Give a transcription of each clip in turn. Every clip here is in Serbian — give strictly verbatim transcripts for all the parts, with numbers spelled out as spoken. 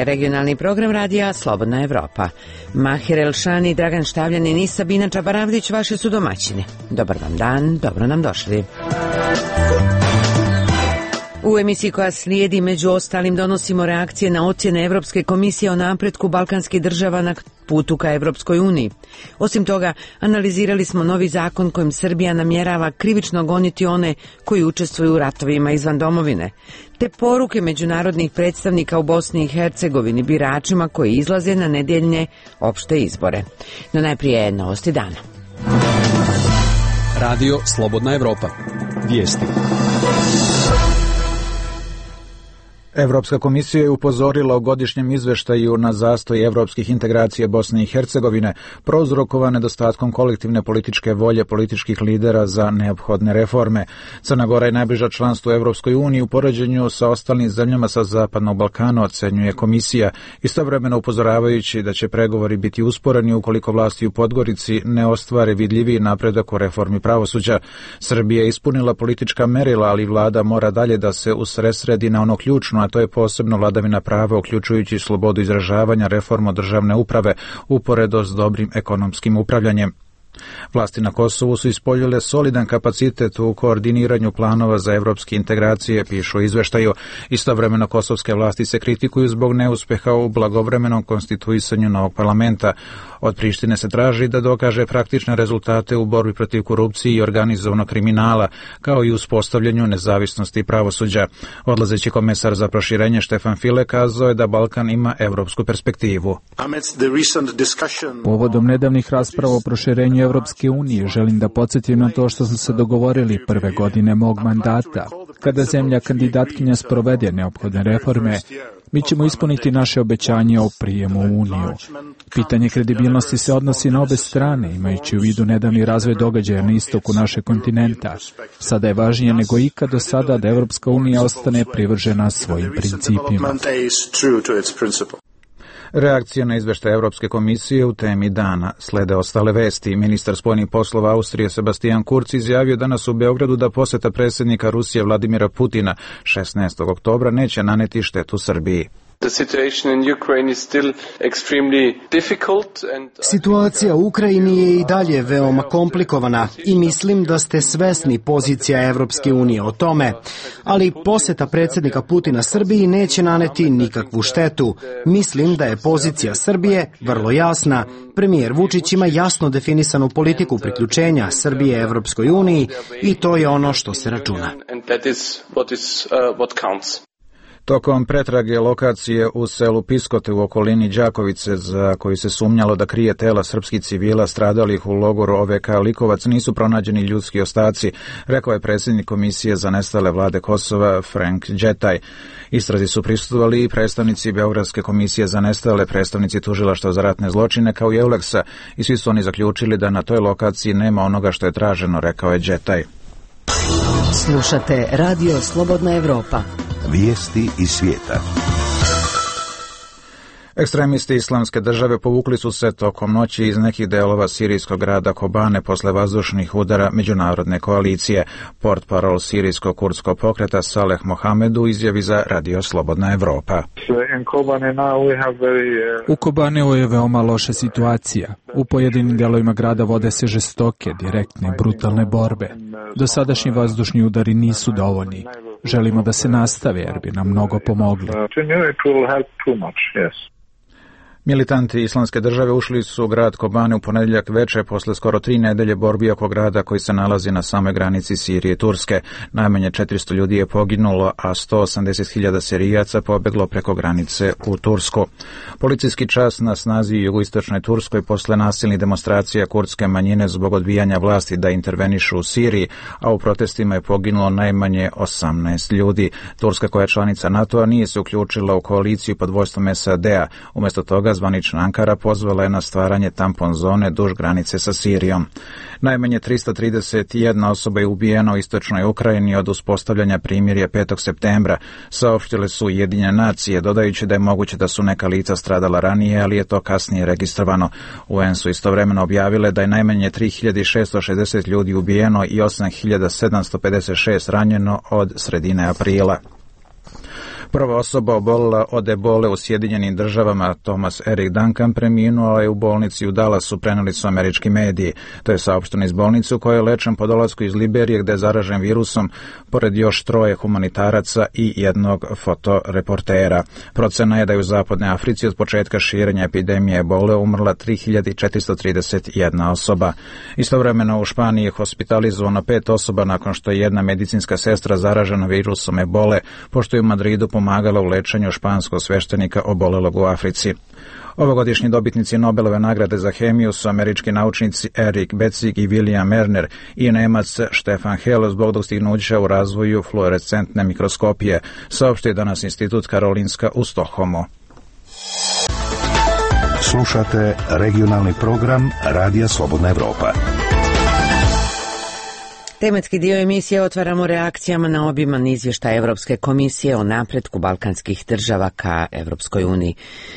regionalni program radija Slobodna Evropa. Mahir Elšani, Dragan Štavljanin i Sabina Čabaravdić vaši su domaćini. Dobar vam dan, dobro nam došli. U emisiji koja slijedi, među ostalim, donosimo reakcije na ocjene Evropske komisije o napretku balkanskih država na putu ka Evropskoj uniji. Osim toga, analizirali smo novi zakon kojim Srbija namjerava krivično goniti one koji učestvuju u ratovima izvan domovine, te poruke međunarodnih predstavnika u Bosni i Hercegovini biračima koji izlaze na nedjeljne opšte izbore. No najprije novosti dana. Radio Slobodna Evropa. Vijesti. Evropska komisija je upozorila o godišnjem izveštaju na zastoj evropskih integracija Bosne i Hercegovine, prouzrokovan nedostatkom kolektivne političke volje političkih lidera za neophodne reforme. Crna Gora je najbliža članstvu Evropskoj uniji u poređenju sa ostalim zemljama sa Zapadnog Balkana, ocenjuje komisija, istovremeno upozoravajući da će pregovori biti usporeni ukoliko vlasti u Podgorici ne ostvare vidljiviji napredak o reformi pravosuđa. Srbija je ispunila politička merila, ali vlada mora dalje da se usredsredi na ono ključno, a to je posebno vladavina prava, uključujući slobodu izražavanja, reformu državne uprave, uporedo s dobrim ekonomskim upravljanjem. Vlasti na Kosovu su ispoljile solidan kapacitet u koordiniranju planova za evropske integracije, pišu u izveštaju. Istovremeno kosovske vlasti se kritikuju zbog neuspeha u blagovremenom konstituisanju novog parlamenta. Od Prištine se traži da dokaže praktične rezultate u borbi protiv korupcije i organizovanog kriminala, kao i uspostavljanju nezavisnosti pravosuđa. Odlazeći komesar za proširenje Štefan File kazao je da Balkan ima evropsku perspektivu. Povodom nedavnih rasprava o proširenju Evropske unije želim da podsjetim na to što smo se dogovorili prve godine mog mandata. Kada zemlja kandidatkinja sprovede neophodne reforme, mi ćemo ispuniti naše obećanje o prijemu u Uniju. Pitanje kredibilnosti se odnosi na obe strane, imajući u vidu nedavni razvoj događaja na istoku našeg kontinenta. Sada je važnije nego ikad do sada da Evropska unija ostane privržena svojim principima. Reakcija na izveštaj Evropske komisije u temi dana. Slede ostale vesti. Ministar spoljnih poslova Austrije Sebastian Kurz izjavio danas u Beogradu da poseta predsjednika Rusije Vladimira Putina šesnaestog oktobra neće naneti štetu Srbiji. Situacija u Ukrajini je i dalje veoma komplikovana i mislim da ste svesni pozicija Evropske unije o tome, ali poseta predsjednika Putina Srbiji neće naneti nikakvu štetu. Mislim da je pozicija Srbije vrlo jasna. Premijer Vučić ima jasno definisanu politiku priključenja Srbije Evropskoj uniji i to je ono što se računa. Tokom pretrage lokacije u selu Piskote u okolini Đakovice, za koju se sumnjalo da krije tela srpskih civila stradalih u logoru O V K Likovac, nisu pronađeni ljudski ostaci, rekao je predsjednik Komisije za nestale vlade Kosova Frank Đetaj. Istrazi su prisustvovali i predstavnici Beogradske komisije za nestale, predstavnici tužilaštva za ratne zločine kao i Euleksa, i svi su oni zaključili da na toj lokaciji nema onoga što je traženo, rekao je Đetaj. Slušate Radio Slobodna Evropa. Vijesti iz svijeta. Ekstremisti Islamske države povukli su se tokom noći iz nekih delova sirijskog grada Kobane posle vazdušnih udara međunarodne koalicije. Portparol sirijskog kurdskog pokreta Saleh Mohamed u izjavi za Radio Slobodna Evropa. U Kobaneu je veoma loša situacija. U pojedinim delovima grada vode se žestoke, direktne, brutalne borbe. Dosadašnji vazdušni udari nisu dovoljni. Želimo da se nastave jer bi nam mnogo pomogli. Militanti Islamske države ušli su u grad Kobane u ponedjeljak veče posle skoro tri nedelje borbi oko grada koji se nalazi na samoj granici Sirije i Turske. Najmanje četiristo ljudi je poginulo, a sto osamdeset hiljada Sirijaca pobeglo preko granice u Tursku. Policijski čas na snazi u jugoistočnoj Turskoj posle nasilnih demonstracija kurdske manjine zbog odbijanja vlasti da intervenišu u Siriji, a u protestima je poginulo najmanje osamnaest ljudi. Turska, koja je članica NATO-a, nije se uključila u koaliciju pod vodstvom S A D-a. Umjesto toga zvanična Ankara pozvala je na stvaranje tampon zone duž granice sa Sirijom. Najmanje tristo trideset jedna osoba je ubijena u istočnoj Ukrajini od uspostavljanja primirja petog septembra, saopštile su Ujedinjene nacije, dodajući da je moguće da su neka lica stradala ranije, ali je to kasnije registrovano. U en su istovremeno objavile da je najmanje tri hiljade šesto šezdeset ljudi ubijeno i osam hiljada sedamsto pedeset šest ranjeno od sredine aprila. Prva osoba obolila od ebole u Sjedinjenim državama, Thomas Eric Duncan, preminuo je u bolnici u Dallasu, preneli su američki mediji. To je saopšteno iz bolnice u kojoj je lečen po dolasku iz Liberije, gde je zaražen virusom, pored još troje humanitaraca i jednog fotoreportera. Procena je da je u zapadnoj Africi od početka širenja epidemije ebole umrla tri hiljade četiristo trideset jedna osoba. Istovremeno u Španiji je hospitalizovano pet osoba nakon što je jedna medicinska sestra zaražena virusom ebole, pošto je u Madridu pomagala u lečenju španskog sveštenika obolelog u Africi. Ovogodišnji dobitnici Nobelove nagrade za hemiju su američki naučnici Erik Betzig i William Merner i Nemac Stefan Hell zbog dostignuća u razvoju fluorescentne mikroskopije, saopštio danas Institut Karolinska u Stokholmu. Slušate regionalni program Radija Slobodna Evropa. Tematski dio emisije otvaramo reakcijama na obiman izvještaj Evropske komisije o napretku balkanskih država ka Evropskoj uniji.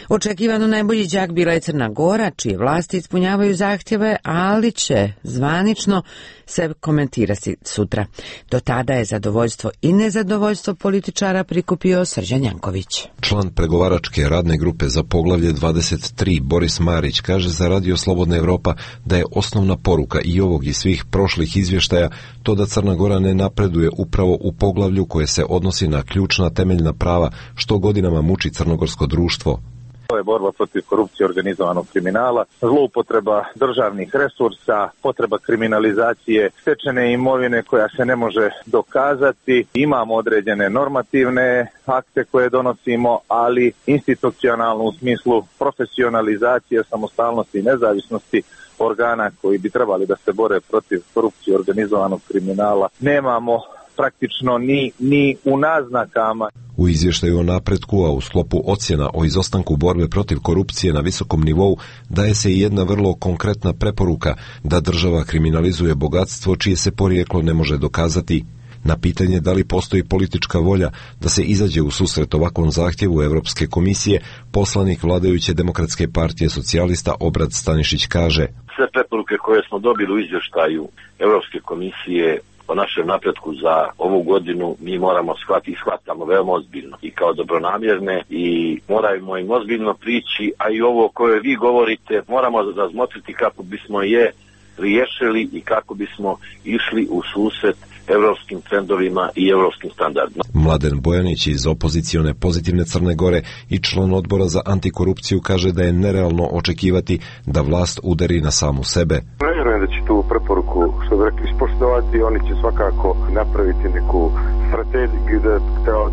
Očekivano najbolji đak bila je Crna Gora, čije vlasti ispunjavaju zahtjeve, ali će zvanično se komentirati sutra. Do tada je zadovoljstvo i nezadovoljstvo političara prikupio Srđan Janković. Član pregovaračke radne grupe za poglavlje dvadeset tri Boris Marić kaže za Radio Slobodna Evropa da je osnovna poruka i ovog i svih prošlih izvještaja to da Crna Gora ne napreduje upravo u poglavlju koje se odnosi na ključna temeljna prava što godinama muči crnogorsko društvo. To je borba protiv korupcije, organizovanog kriminala, zloupotreba državnih resursa, potreba kriminalizacije stečene imovine koja se ne može dokazati. Imamo određene normativne akte koje donosimo, ali institucionalno u smislu profesionalizacije, samostalnosti i nezavisnosti organa koji bi trebali da se bore protiv korupcije, organizovanog kriminala, nemamo praktično ni, ni u naznakama. U izvještaju o napretku, a u sklopu ocjena o izostanku borbe protiv korupcije na visokom nivou, daje se i jedna vrlo konkretna preporuka da država kriminalizuje bogatstvo čije se porijeklo ne može dokazati. Na pitanje da li postoji politička volja da se izađe u susret ovakvom zahtjevu Evropske komisije, poslanik vladajuće Demokratske partije socijalista Obrad Stanišić kaže: sve preporuke koje smo dobili u izvještaju Evropske komisije o našem napretku za ovu godinu mi moramo shvatiti i shvatamo veoma ozbiljno i kao dobronamjerne i moramo im ozbiljno prići, a i ovo koje vi govorite moramo razmotriti kako bismo je riješili i kako bismo išli u susret evropskim trendovima i evropskim standardima. Mladen Bojanić iz opozicione Pozitivne Crne Gore i član odbora za antikorupciju kaže da je nerealno očekivati da vlast udari na samu sebe. Ne vjerujem da će tu preporuku, što bi rekli, ispoštovati. Oni će svakako napraviti neku strategiju da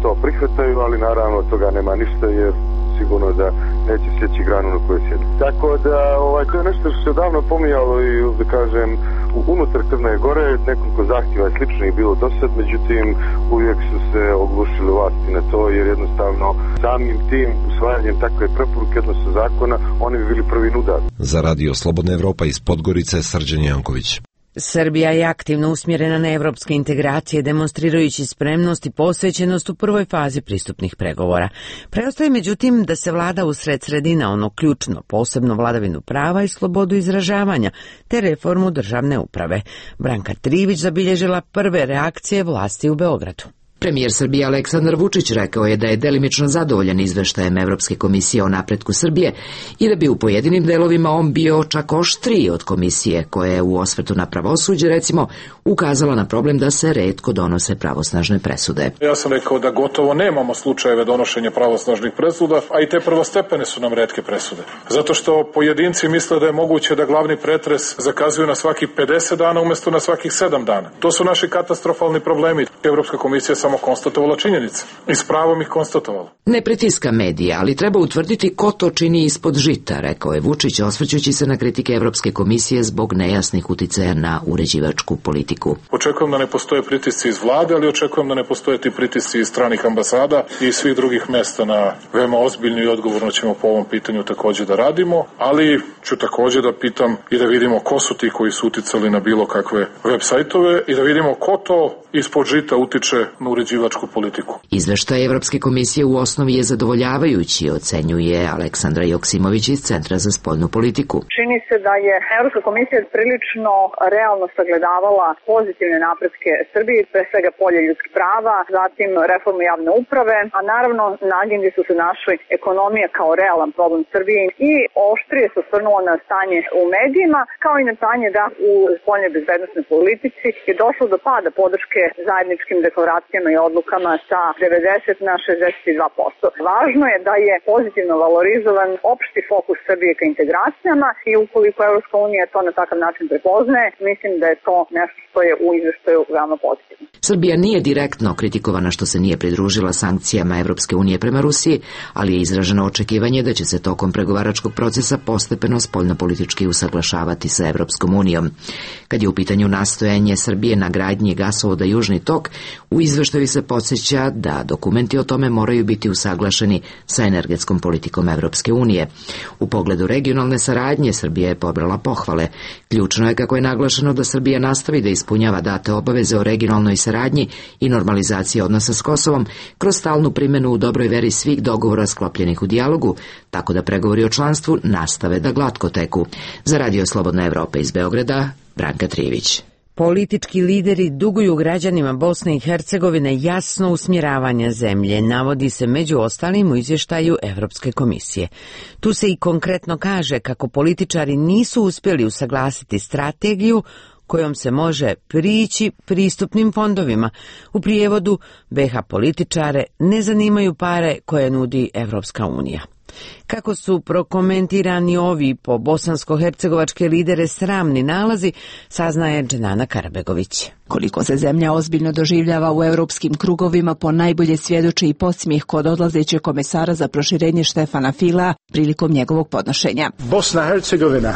to prihvataju, ali naravno od toga nema ništa jer sigurno da neće sjeći granu na kojoj sjedi. Tako da ovaj, to je nešto što se davno pomijalo i da kažem unutar Crne Gore nekoliko zahtjeva je sličnih bilo do sad, međutim uvijek su se oglušili vlasti na to jer jednostavno samim tim usvajanjem takve preporuke odnosno zakona oni bi bili prvi udar. Za Radio Slobodna Evropa iz Podgorice Srđan Janković. Srbija je aktivno usmjerena na evropske integracije, demonstrirajući spremnost i posvećenost u prvoj fazi pristupnih pregovora. Preostaje međutim da se vlada usred sredina ono ključno, posebno vladavinu prava i slobodu izražavanja, te reformu državne uprave. Branka Trivić zabilježila prve reakcije vlasti u Beogradu. Premijer Srbije Aleksandar Vučić rekao je da je delimično zadovoljan izveštajem Evropske komisije o napretku Srbije i da bi u pojedinim delovima on bio čak oštriji od komisije koja je u osvrtu na pravosuđe recimo ukazala na problem da se retko donose pravosnažne presude. Ja sam rekao da gotovo nemamo slučajeve donošenja pravosnažnih presuda, a i te prvostepene su nam retke presude. Zato što pojedinci misle da je moguće da glavni pretres zakazuju na svakih pedeset dana umjesto na svakih sedam dana. To su naši katastrofalni problemi. Evropska komisija samo konstatovala činjenice i s pravom ih konstatovala. Ne pritiska medija, ali treba utvrditi ko to čini ispod žita, rekao je Vučić, osvrćući se na kritike Evropske komisije zbog nejasnih uticaja na uređivačku politiku. Očekujem da ne postoje pritisci iz vlade, ali očekujem da ne postoje ti pritisci iz stranih ambasada i svih drugih mesta. Na veoma ozbiljno i odgovorno ćemo po ovom pitanju također da radimo, ali ću također da pitam i da vidimo ko su ti koji su uticali na bilo kakve web sajtove i da vidimo ko to ispod žita utiče na uređivačku politiku. Izveštaj Evropske komisije u osnovi je zadovoljavajući, ocenjuje Aleksandra Joksimović iz Centra za spoljnu politiku. Čini se da je Evropska komisija prilično realno sagledavala pozitivne napretke Srbije, pre svega polje ljudskih prava, zatim reformu javne uprave, a naravno na agendi su se našli ekonomija kao realan problem Srbije i oštrije se osvrnulo na stanje u medijima, kao i na stanje da u spoljnoj bezbednosnoj politici je došlo do pada podrške zajedničkim deklaracijama i odlukama sa devedeset na šezdeset dva posto. Važno je da je pozitivno valorizovan opšti fokus Srbije ka integracijama i ukoliko Evropska unija to na takav način prepoznaje, mislim da je to nešto što je u izveštaju veoma pozitivno. Srbija nije direktno kritikovana što se nije pridružila sankcijama Evropske unije prema Rusiji, ali je izraženo očekivanje da će se tokom pregovaračkog procesa postepeno spoljnopolitički usaglašavati sa Evropskom unijom. Kad je u pitanju nastojanje Srbije na gradnji gasovoda Južni tok, u izveštaju se podsjeća da dokumenti o tome moraju biti usaglašeni sa energetskom politikom Evropske unije. U pogledu regionalne saradnje Srbija je pobrala pohvale. Ključno je, kako je naglašeno, da Srbija nastavi da ispunjava date obaveze o regionalnoj saradnji i normalizaciji odnosa s Kosovom kroz stalnu primjenu u dobroj veri svih dogovora sklopljenih u dijalogu, tako da pregovori o članstvu nastave da glatko teku. Za Radio Slobodna Evropa iz Beograda, Branka Trivić. Politički lideri duguju građanima Bosne i Hercegovine jasno usmjeravanje zemlje, navodi se među ostalim u izvještaju Evropske komisije. Tu se i konkretno kaže kako političari nisu uspjeli usaglasiti strategiju kojom se može prići pristupnim fondovima. U prijevodu, be ha političare ne zanimaju pare koje nudi Evropska unija. Kako su prokomentirani ovi po bosansko-hercegovačke lidere sramni nalazi, saznaje Dženana Karabegović. Koliko se zemlja ozbiljno doživljava u europskim krugovima ponajbolje svjedoči i podsmijeh kod odlazećeg komesara za proširenje Štefana Fila prilikom njegovog podnošenja. Bosna i Hercegovina.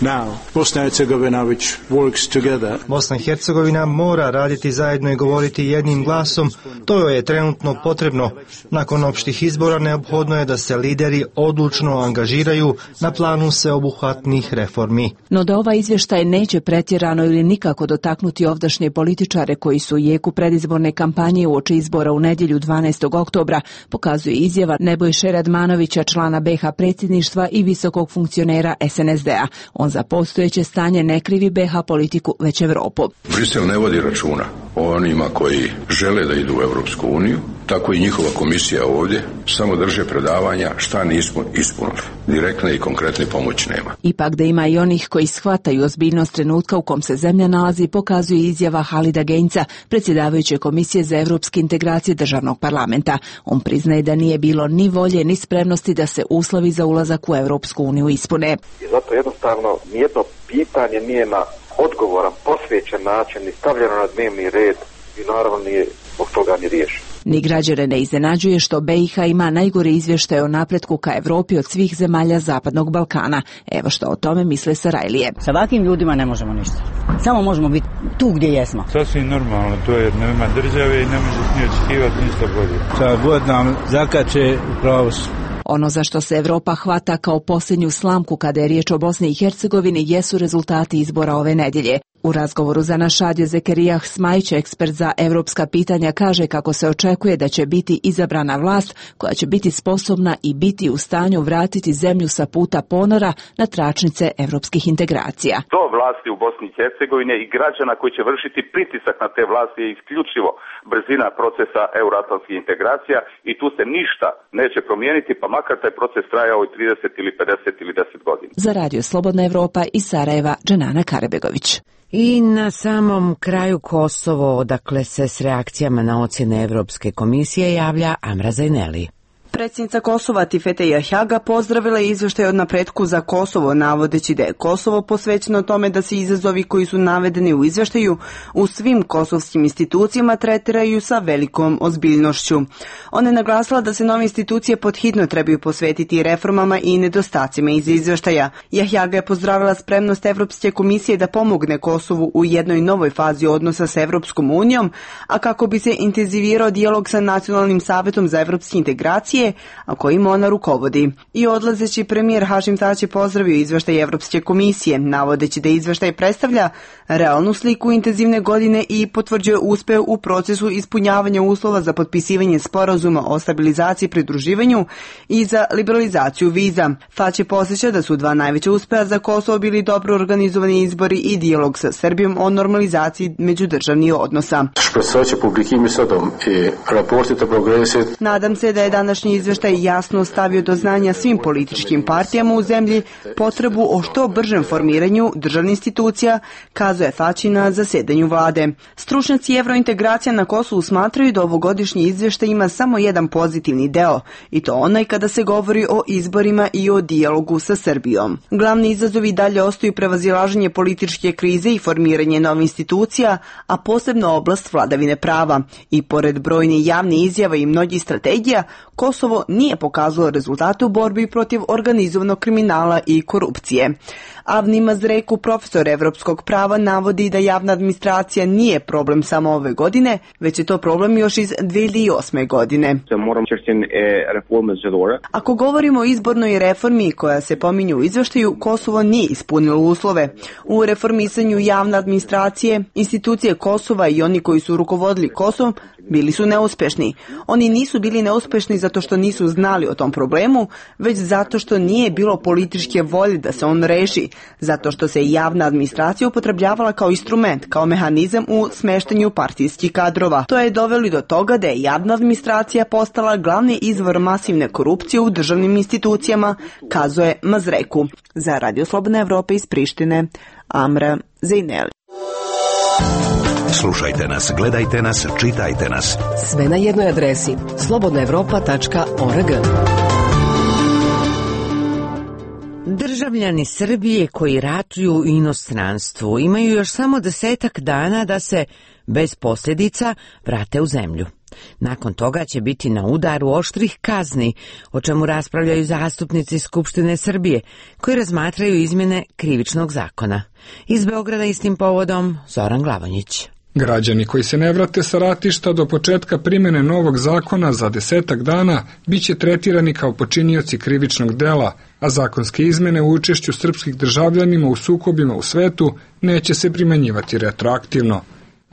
Now, Bosna i Hercegovina which works together. Bosna i Hercegovina mora raditi zajedno i govoriti jednim glasom. To joj je trenutno potrebno. Nakon opštih izbora neophodno je da se lideri odlučno angažiraju na planu sveobuhvatnih reformi. No da ovaj izvještaj neće pretjerano ili nikako dotaknuti ovdašnje političare koji su u jeku predizborne kampanje uoči izbora u nedjelju dvanaestog oktobra, pokazuje izjava Nebojše Radmanovića, člana be ha predsjedništva i visokog funkcionera es en es de a. On za postojeće stanje ne krivi be ha politiku, već Evropu. Brisel ne vodi računa o onima koji žele da idu u Evropsku uniju, tako i njihova komisija ovdje samo drže predavanja šta nismo ispunili. Direktne i konkretne pomoći nema. Ipak da ima i onih koji shvataju ozbiljnost trenutka u kom se zemlja nalazi, pokazuje izjava Halida Genjca, predsjedavajuće Komisije za evropske integracije državnog parlamenta. On priznaje da nije bilo ni volje ni spremnosti da se uslovi za ulazak u Evropsku uniju ispune. I zato jednostavno nijedno pitanje nije na odgovoran, posvećen način ni stavljeno na dnevni red i naravno nije od toga ni riješeno. Ni građane ne iznenađuje što be i ha ima najgori izvještaj o napretku ka Evropi od svih zemalja Zapadnog Balkana. Evo što o tome misle Sarajlije. Sa ovakvim ljudima ne možemo ništa. Samo možemo biti tu gdje jesmo. Sasvim normalno, to je nema države i ne može ni očekivati ništa bolje. Šta god nam zakače, upravo su. Ono za što se Evropa hvata kao posljednju slamku kada je riječ o Bosni i Hercegovini jesu rezultati izbora ove nedjelje. U razgovoru za naš radio Zekerijah Smajić, ekspert za evropska pitanja, kaže kako se očekuje da će biti izabrana vlast koja će biti sposobna i biti u stanju vratiti zemlju sa puta ponora na tračnice evropskih integracija. Do vlasti u Bosni i Hercegovine i građana koji će vršiti pritisak na te vlasti je isključivo brzina procesa euroatlantskih integracija i tu se ništa neće promijeniti, pa makar taj proces trajao i trideset ili pedeset ili deset godina. Za Radio Slobodna Evropa iz Sarajeva, Dženana Karabegović. I na samom kraju Kosovo, odakle se s reakcijama na ocjene Evropske komisije javlja Amra Zajneli. Predsjednica Kosova Tifete Jahjaga pozdravila je izvještaj od napretku za Kosovo, navodeći da je Kosovo posvećeno tome da se izazovi koji su navedeni u izvještaju u svim kosovskim institucijama tretiraju sa velikom ozbiljnošću. Ona je naglasila da se nove institucije podhitno trebaju posvetiti reformama i nedostacima iz izvještaja. Jahjaga je pozdravila spremnost Evropske komisije da pomogne Kosovu u jednoj novoj fazi odnosa s Evropskom unijom, a kako bi se intenzivirao dijalog sa Nacionalnim savjetom za evropske integracije Srbije, a kojim ona rukovodi. I odlazeći premijer Hašim Tači pozdravio izveštaj Evropske komisije, navodeći da izveštaj predstavlja realnu sliku intenzivne godine i potvrđuje uspeh u procesu ispunjavanja uslova za potpisivanje sporazuma o stabilizaciji i pridruživanju i za liberalizaciju viza. Tači posjeća da su dva najveća uspeha za Kosovo bili dobro organizovani izbori i dijalog sa Srbijom o normalizaciji međudržavnih odnosa. Nadam se da je današnji izveštaj jasno stavio do znanja svim političkim partijama u zemlji potrebu o što bržem formiranju državnih institucija, kazuje Tači na zasedanju vlade. Stručnjaci evrointegracija na Kosovu smatraju da ovogodišnji izveštaj ima samo jedan pozitivni deo, i to onaj kada se govori o izborima i o dijalogu sa Srbijom. Glavni izazovi dalje ostaju prevazilaženje političke krize i formiranje novih institucija, a posebno oblast vladavine prava. I pored brojnih javnih izjava i mnogih strategija, Kosovo nije pokazalo rezultate u borbi protiv organizovanog kriminala i korupcije. Avni Mazreku, profesor evropskog prava, navodi da javna administracija nije problem samo ove godine, već je to problem još iz dve hiljade osme. godine. Ako govorimo o izbornoj reformi koja se pominje u izveštaju, Kosovo nije ispunilo uslove. U reformisanju javne administracije, institucije Kosova i oni koji su rukovodili Kosovom bili su neuspešni. Oni nisu bili neuspešni zato što nisu znali o tom problemu, već zato što nije bilo političke volje da se on reši, zato što se javna administracija upotrebljavala kao instrument, kao mehanizam u smeštanju partijskih kadrova. To je dovelo do toga da je javna administracija postala glavni izvor masivne korupcije u državnim institucijama, kazuje Mazreku. Za Radio Slobodna Evropa iz Prištine, Amra Zejneli. Slušajte nas, gledajte nas, čitajte nas. Sve na jednoj adresi slobodna evropa tačka org. Državljani Srbije koji ratuju u inostranstvu imaju još samo desetak dana da se bez posljedica vrate u zemlju. Nakon toga će biti na udaru oštrih kazni, o čemu raspravljaju zastupnici Skupštine Srbije, koji razmatraju izmjene krivičnog zakona. Iz Beograda istim povodom Zoran Glavonjić. Građani koji se ne vrate sa ratišta do početka primjene novog zakona za desetak dana biće tretirani kao počinioci krivičnog dela, a zakonske izmene u učešću srpskih državljanima u sukobima u svetu neće se primenjivati retroaktivno.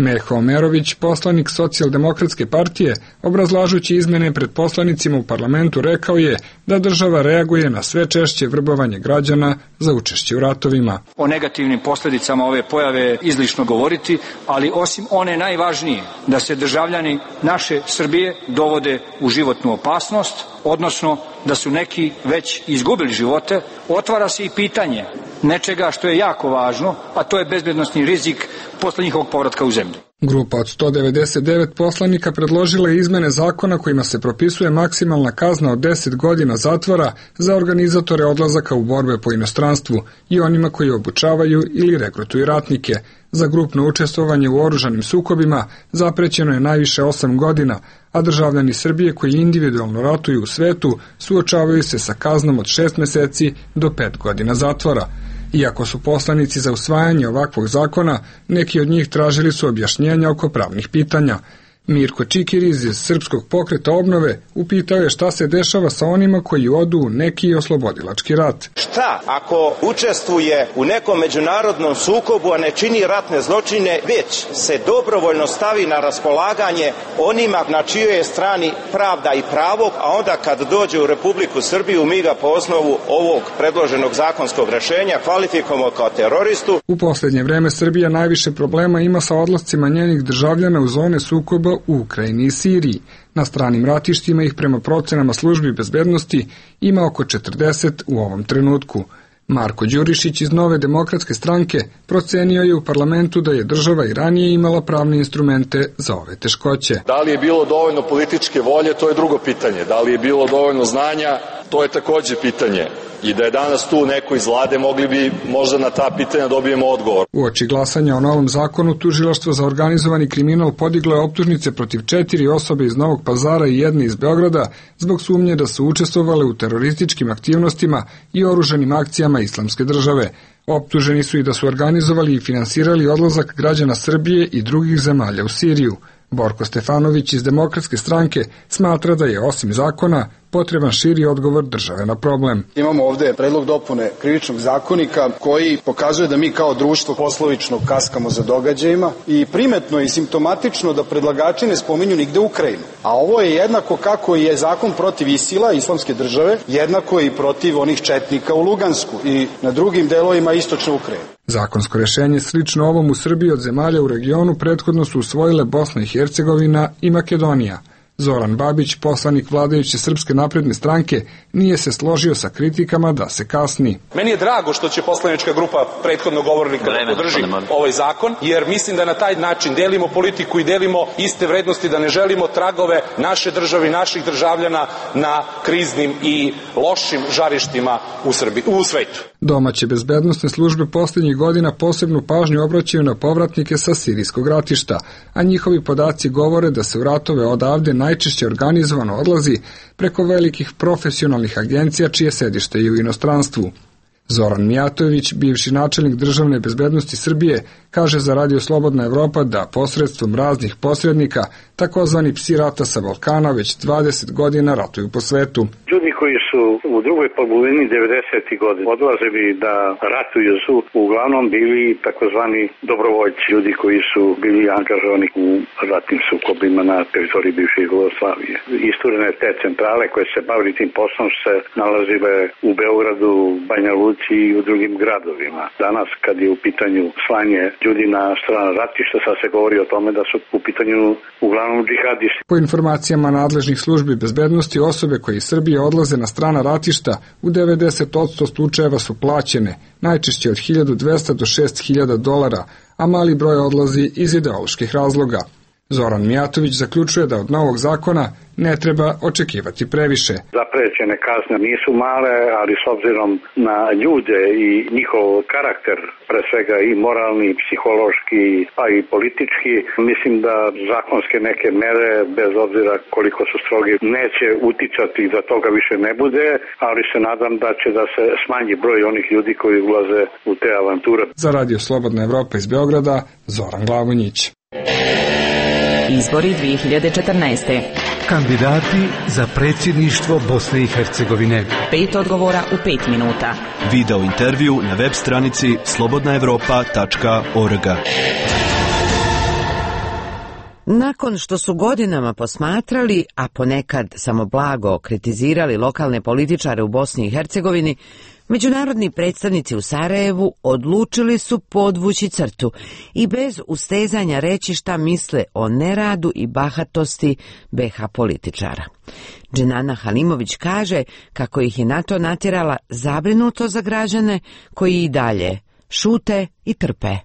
Meho Omerović, poslanik Socijaldemokratske partije, obrazlažući izmene pred poslanicima u parlamentu, rekao je da država reaguje na sve češće vrbovanje građana za učešće u ratovima. O negativnim posljedicama ove pojave je izlišno govoriti, ali osim one najvažnije, da se državljani naše Srbije dovode u životnu opasnost, odnosno da su neki već izgubili živote, otvara se i pitanje nečega što je jako važno, a to je bezbednosni rizik posle njihovog povratka u zemlju. Grupa od sto devedeset devet poslanika predložila je izmene zakona kojima se propisuje maksimalna kazna od deset godina zatvora za organizatore odlazaka u borbe po inostranstvu i onima koji obučavaju ili regrutuju ratnike. Za grupno učestvovanje u oružanim sukobima zaprećeno je najviše osam godina, a državljani Srbije koji individualno ratuju u svetu suočavaju se sa kaznom od šest meseci do pet godina zatvora. Iako su poslanici za usvajanje ovakvog zakona, neki od njih tražili su objašnjenja oko pravnih pitanja. Mirko Čikiriz iz Srpskog pokreta obnove upitao je šta se dešava sa onima koji odu u neki oslobodilački rat. Šta ako učestvuje u nekom međunarodnom sukobu, a ne čini ratne zločine, već se dobrovoljno stavi na raspolaganje onima na čijoj je strani pravda i pravo, a onda kad dođe u Republiku Srbiju mi ga po osnovu ovog predloženog zakonskog rešenja kvalifikujemo kao teroristu. U posljednje vreme Srbija najviše problema ima sa odlascima njenih državljana u zone sukoba u Ukrajini i Siriji. Na stranim ratištima ih prema procenama službi bezbednosti ima oko četrdeset u ovom trenutku. Marko Đurišić iz Nove demokratske stranke procenio je u parlamentu da je država i ranije imala pravne instrumente za ove teškoće. Da li je bilo dovoljno političke volje, to je drugo pitanje. Da li je bilo dovoljno znanja, to je takođe pitanje. I da je danas tu neko iz vlade, mogli bi možda na ta pitanja dobijemo odgovor. Uoči glasanja o novom zakonu, Tužilaštvo za organizovani kriminal podiglo je optužnice protiv četiri osobe iz Novog Pazara i jedne iz Beograda zbog sumnje da su učestvovale u terorističkim aktivnostima i oružanim akcijama Islamske države. Optuženi su i da su organizovali i finansirali odlazak građana Srbije i drugih zemalja u Siriju. Borko Stefanović iz Demokratske stranke smatra da je osim zakona potreban širi odgovor države na problem. Imamo ovde predlog dopune krivičnog zakonika koji pokazuje da mi kao društvo poslovično kaskamo za događajima i primetno i simptomatično da predlagači ne spominju nigde Ukrajinu. A ovo je jednako kako je zakon protiv Isila, islamske države, jednako i protiv onih četnika u Lugansku i na drugim delovima istočne Ukrajine. Zakonsko rešenje slično ovom u Srbiji od zemalja u regionu prethodno su usvojile Bosna i Hercegovina i Makedonija. Zoran Babić, poslanik vladajuće Srpske napredne stranke, nije se složio sa kritikama da se kasni. Meni je drago što će poslanička grupa prethodno govornika da podrži ovaj zakon, jer mislim da na taj način delimo politiku i delimo iste vrednosti, da ne želimo tragove naše države i naših državljana na kriznim i lošim žarištima u Srbiji, u svetu. Domaće bezbednosne službe posljednjih godina posebnu pažnju obraćaju na povratnike sa sirijskog ratišta, a njihovi podaci govore da se u ratove odavde najčešće organizovano odlazi preko velikih profesionalnih agencija čije sedište je u inostranstvu. Zoran Mijatović, bivši načelnik državne bezbednosti Srbije, kaže za Radio Slobodna Evropa da posredstvom raznih posrednika, takozvani psi rata sa Balkana, već dvadeset godina ratuju po svetu. Ljudi koji su u drugoj polovini devedesetih godina odlazili da ratuju su uglavnom bili takozvani dobrovoljci, ljudi koji su bili angažovani u ratnim sukobima na teritoriji bivše Jugoslavije. Isturene te centrale koje se bavili tim poslom se nalazile u Beogradu, Banja Luci i u drugim gradovima. Danas kad je u pitanju slanje ljudi na stranu ratišta, sad se govori o tome da su u pitanju uglavnom džihadisti. Po informacijama nadležnih službi bezbednosti, osobe koje iz Srbije odlaze na strana ratišta u devedeset posto slučajeva su plaćene, najčešće od hiljadu dvesta do šest hiljada dolara, a mali broj odlazi iz ideoloških razloga. Zoran Mijatović zaključuje da od novog zakona ne treba očekivati previše. Zaprećene kazne nisu male, ali s obzirom na ljude i njihov karakter, pre svega i moralni, i psihološki, pa i politički, mislim da zakonske neke mere, bez obzira koliko su strogi, neće uticati da toga više ne bude, ali se nadam da će da se smanji broj onih ljudi koji ulaze u te avanture. Za Radio Slobodna Evropa iz Beograda, Zoran Glavonjić. Izbori dve hiljade četrnaeste. Kandidati za predsjedništvo Bosne i Hercegovine. Pet odgovora u pet minuta. Video intervju na web stranici slobodna evropa tačka org. Nakon što su godinama posmatrali, a ponekad samo blago kritizirali lokalne političare u Bosni i Hercegovini, međunarodni predstavnici u Sarajevu odlučili su podvući crtu i bez ustezanja reći šta misle o neradu i bahatosti be ha političara. Dženana Halimović kaže kako ih je na to natjerala zabrinuto za građane koji i dalje šute i trpe.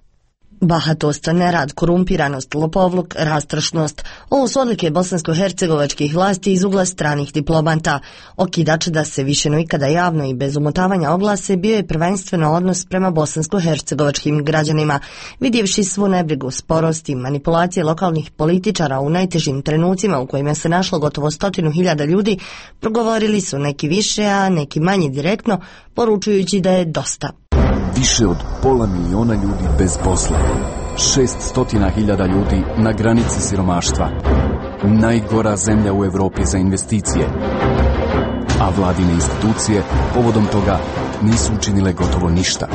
Bahatost, nerad, korumpiranost, lopovluk, rastrošnost. Ovo su odlike bosansko-hercegovačkih vlasti iz ugla stranih diplomata. Okidač da se više no ikada javno i bez umotavanja oglase bio je prvenstveno odnos prema bosansko-hercegovačkim građanima. Vidjevši svu nebrigu, sporost i manipulacije lokalnih političara u najtežim trenucima u kojima se našlo gotovo stotinu hiljada ljudi, progovorili su neki više, a neki manje direktno, poručujući da je dosta. Više od pola miliona ljudi bez posla, šest stotina hiljada ljudi na granici siromaštva, najgora zemlja u Evropi za investicije, a vladine institucije povodom toga nisu učinile gotovo ništa.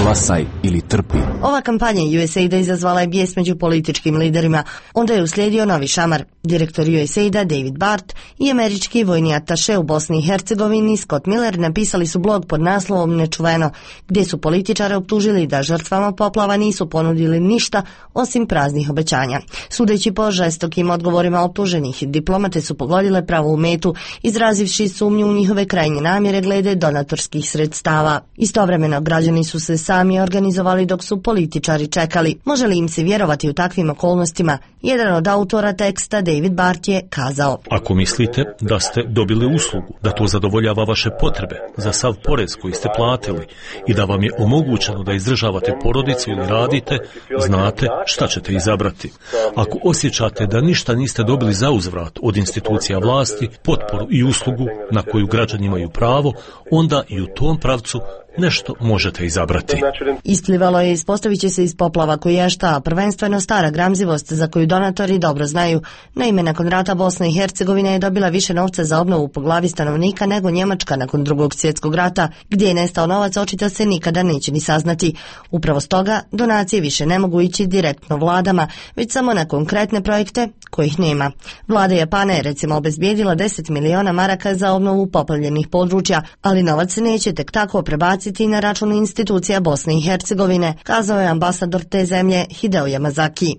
Glasaj ili trpi. Ova kampanja U S A I D-a izazvala je bijes među političkim liderima. Onda je uslijedio novi šamar. Direktor U S A I D-a David Bart i američki vojni ataše u Bosni i Hercegovini Scott Miller napisali su blog pod naslovom Nečuveno, gdje su političare optužili da žrtvama poplava nisu ponudili ništa osim praznih obećanja. Sudeći po žestokim odgovorima optuženih, diplomate su pogodile pravu metu, izrazivši sumnju u njihove krajnje namjere glede donatorskih sredstava. Istovremeno građani su se sami organizovali dok su političari čekali. Može li im se vjerovati u takvim okolnostima? Jedan od autora teksta, David Bart, je kazao: Ako mislite da ste dobili uslugu, da to zadovoljava vaše potrebe za sav porez koji ste platili i da vam je omogućeno da izdržavate porodicu ili radite, znate šta ćete izabrati. Ako osjećate da ništa niste dobili za uzvrat od institucija vlasti, potporu i uslugu na koju građani imaju pravo, onda i u tom pravcu nešto možete izabrati. Isplivalo je, ispostavit će se iz poplava koješta, prvenstveno stara gramzivost za koju donatori dobro znaju. Naime, nakon rata Bosna i Hercegovina je dobila više novca za obnovu po glavi stanovnika nego Njemačka nakon drugog svjetskog rata, gdje je nestao novac očito se nikada neće ni saznati. Upravo stoga donacije više ne mogu ići direktno vladama, već samo na konkretne projekte kojih nema. Vlada Japana je recimo obezbijedila deset miliona maraka za obnovu poplavljenih područja, ali novac se neće tek tako prebaciti na račun institucija Bosne i Hercegovine, kazao je ambasador te zemlje Hideo Yamazaki.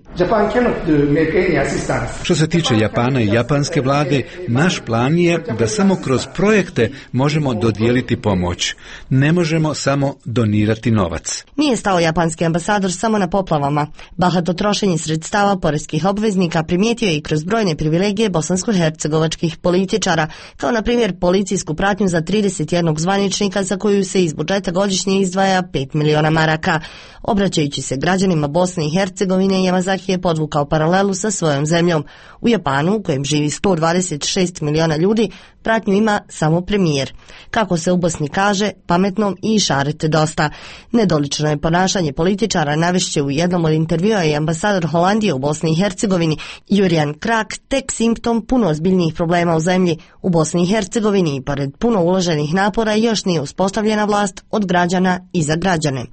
Što se tiče Japana i japanske vlade, naš plan je da samo kroz projekte možemo dodijeliti pomoć. Ne možemo samo donirati novac. Nije stao japanski ambasador samo na poplavama. Bahato trošenje sredstava poreskih obveznika primijetio je i kroz brojne privilegije bosansko-hercegovačkih političara, kao na primjer policijsku pratnju za trideset jednog zvaničnika za koju se iz budžeta godišnje izdvaja pet miliona maraka. Obraćajući se građanima Bosne i Hercegovine, Yamazaki je podvukao paralelu sa svojom zemljom. U Japanu, u kojem živi sto dvadeset šest miliona ljudi, pratnju ima samo premijer. Kako se u Bosni kaže, pametnom i išarete dosta. Nedolično je ponašanje političara, navešće u jednom od intervjua i ambasador Holandije u Bosni i Hercegovini, Jurijan Krak, tek simptom puno ozbiljnijih problema u zemlji. U Bosni i Hercegovini i pored puno uloženih napora još nije uspostavljena vlast od građana i za građane.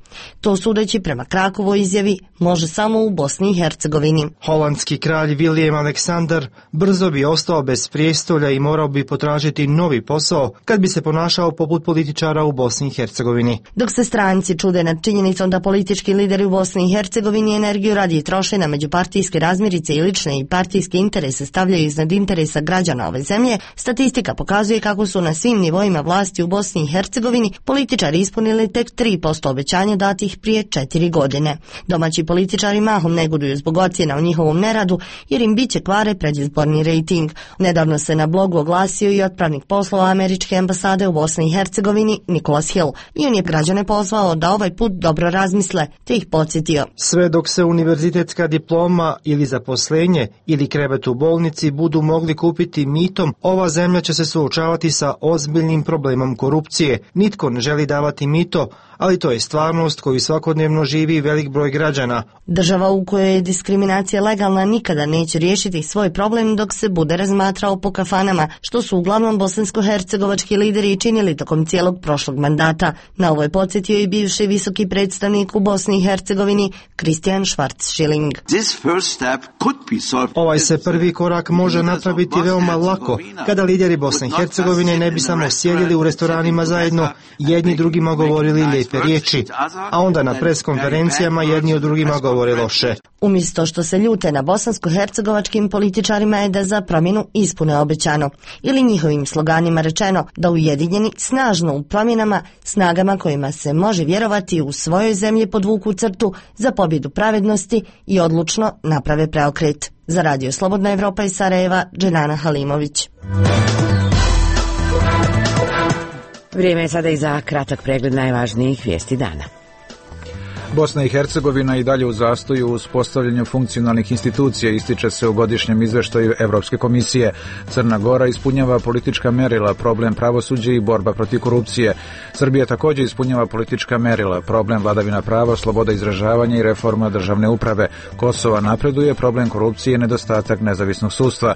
To sudeći prema Krakovoj izjavi može samo u Bosni i Hercegovini. Holandski kralj William Aleksandar brzo bi ostao bez prijestolja i morao bi potražiti novi posao kad bi se ponašao poput političara u Bosni i Hercegovini. Dok se stranci čude nad činjenicom da politički lideri u Bosni i Hercegovini energiju radije troše na međupartijske razmirice i lične i partijske interese stavljaju iznad interesa građana ove zemlje, statistika pokazuje kako su na svim nivoima vlasti u Bosni i Hercegovini političari ispunili tek tri posto obećanja datih prije četiri godine. Domaći političari mahom negoduju zbog ocjena o njihovom neradu jer im biće kvare predizborni rejting. Nedavno se na blogu oglasio i otpravnik poslova američke ambasade u Bosni i Hercegovini Nicholas Hill i on je građane pozvao da ovaj put dobro razmisle te ih podsjetio. Sve dok se univerzitetska diploma ili zaposlenje ili krevet u bolnici budu mogli kupiti mitom, ova zemlja će se suočavati sa ozbiljnim problemom korupcije. Nitko ne želi davati mito, ali to je stvarnost koju svakodnevno živi velik broj građana. Država u kojoj je diskriminacija legalna nikada neće riješiti svoj problem dok se bude razmatrao po kafanama, što su uglavnom bosansko-hercegovački lideri i činili tokom cijelog prošlog mandata. Na ovo je podsjetio i bivši visoki predstavnik u Bosni i Hercegovini Christian Schwarz-Schilling. Ovaj se prvi korak može napraviti veoma lako kada lideri Bosne i Hercegovine ne bi samo sjedili u restoranima zajedno, jedni drugima govorili lijepe riječi, a onda na preskonferencijama jedni od drugima govore loše. Umjesto što se ljute na bosansko-hercegovačkim političarima je da za promjenu ispune obećano. Ili njihovim sloganima rečeno da ujedinjeni snažno u promjenama, snagama kojima se može vjerovati u svojoj zemlji podvuku crtu za pobjedu pravednosti i odlučno naprave preokret. Za Radio Slobodna Evropa iz Sarajeva, Dženana Halimović. Vrijeme je sada i za kratak pregled najvažnijih vijesti dana. Bosna i Hercegovina i dalje u zastoju u uspostavljanju funkcionalnih institucija, ističe se u godišnjem izveštaju Evropske komisije. Crna Gora ispunjava politička merila, problem pravosuđa i borba protiv korupcije. Srbija također ispunjava politička merila, problem vladavina prava, sloboda izražavanja i reforma državne uprave. Kosova napreduje, problem korupcije i nedostatak nezavisnog sudstva.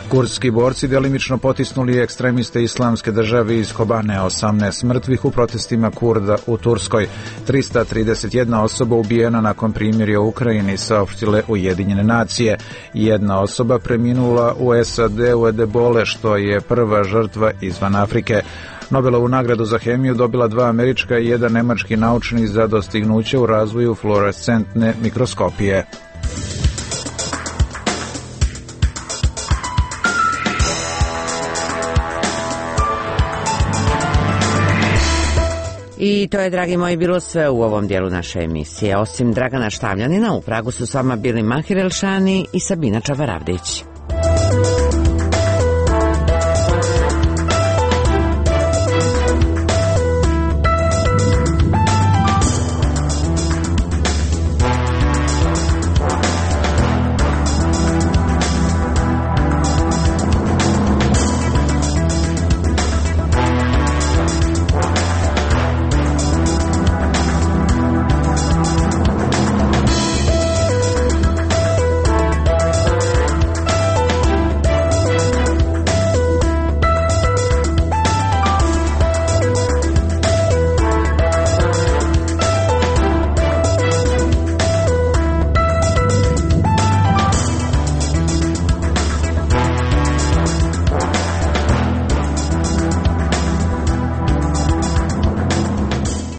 Kurdski borci delimično potisnuli ekstremiste islamske države iz Kobane, osamnaest mrtvih u protestima Kurda u Turskoj. trista trideset jedna osoba ubijena nakon primirja u Ukrajini, saopštile Ujedinjene nacije. Jedna osoba preminula u S A D u Edebole, što je prva žrtva izvan Afrike. Nobelovu nagradu za hemiju dobila dva američka i jedan nemački naučnik za dostignuće u razvoju fluorescentne mikroskopije. I to je, dragi moji, bilo sve u ovom dijelu naše emisije. Osim Dragana Štavljanina, u Pragu su s vama bili Mahir Elšani i Sabina Čavaravdić.